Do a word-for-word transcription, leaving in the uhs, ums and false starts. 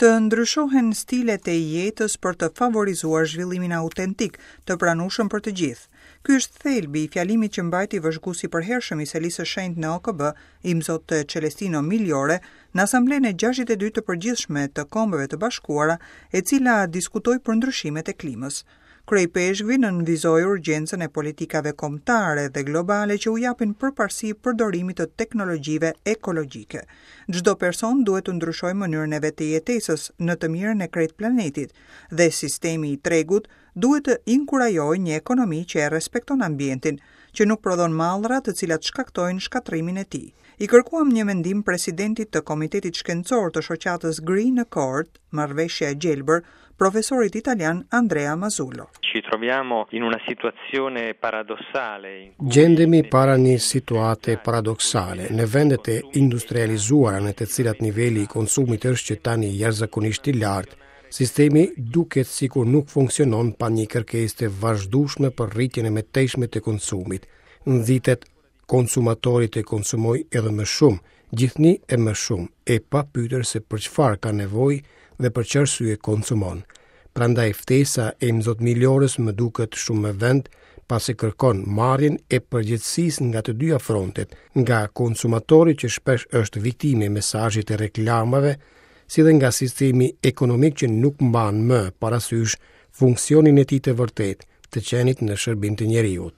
Të ndryshohen stilet e jetës për të favorizuar zhvillimin autentik, të pranueshëm për të gjithë. Ky është thelbi i fjalimit që mbajti vëzhguesi i përhershëm i Selisë së Shenjtë në O K B, Imzot Celestino Migliore, në Asamblenë e gjashtëdhjetë e dy të përgjithshme të Kombeve të Bashkuara, e cila diskutoi për ndryshimet e klimës. Kryeipeshkvi nënvizoi urgjencën e politikave kombëtare dhe globale që u japin përparësi përdorimit të teknologjive ekologjike. Çdo person duhet të ndryshojë mënyrën e vet të jetesës në të mirën e krejt planetit dhe sistemi i tregut duhet të inkurajojë një ekonomi që e respekton ambientin, që nuk prodhon mallra të cilat shkaktojnë shkatërrimin e tij. I kërkuam një mendim presidentit të Komitetit Shkencor të Shoqatës Green Accord, Marrëveshja e Gjelbër, profesorit italian Andrea Mazzullo. Ci troviamo in una situazione paradossale in cui Gjendemi para një situate paradoksale. Në vendet e industrializuara, në të cilat niveli i konsumit është që tani jashtëzakonisht i lartë, sistemi duket sikur nuk funksionon pa një kërkesë të vazhdueshme për rritjen e mëtejshme të konsumit. Nxitet konsumatori të konsumojë edhe më shumë, gjithnjë e më shumë, e pa pyetur se për çfarë ka nevojë dhe për çfarë arsye konsumon. Prandaj ftesa e Imzot Migliores më duket shumë me vend, pasi kërkon marrjen e përgjegjësisë nga të dyja frontet, nga konsumatori, që shpesh është viktimë e mesazhit të reklamave, si dhe nga sistemi ekonomik, që nuk mban më parasysh funksionin e tij të vërtetë, të qenit në shërbim të njeriut.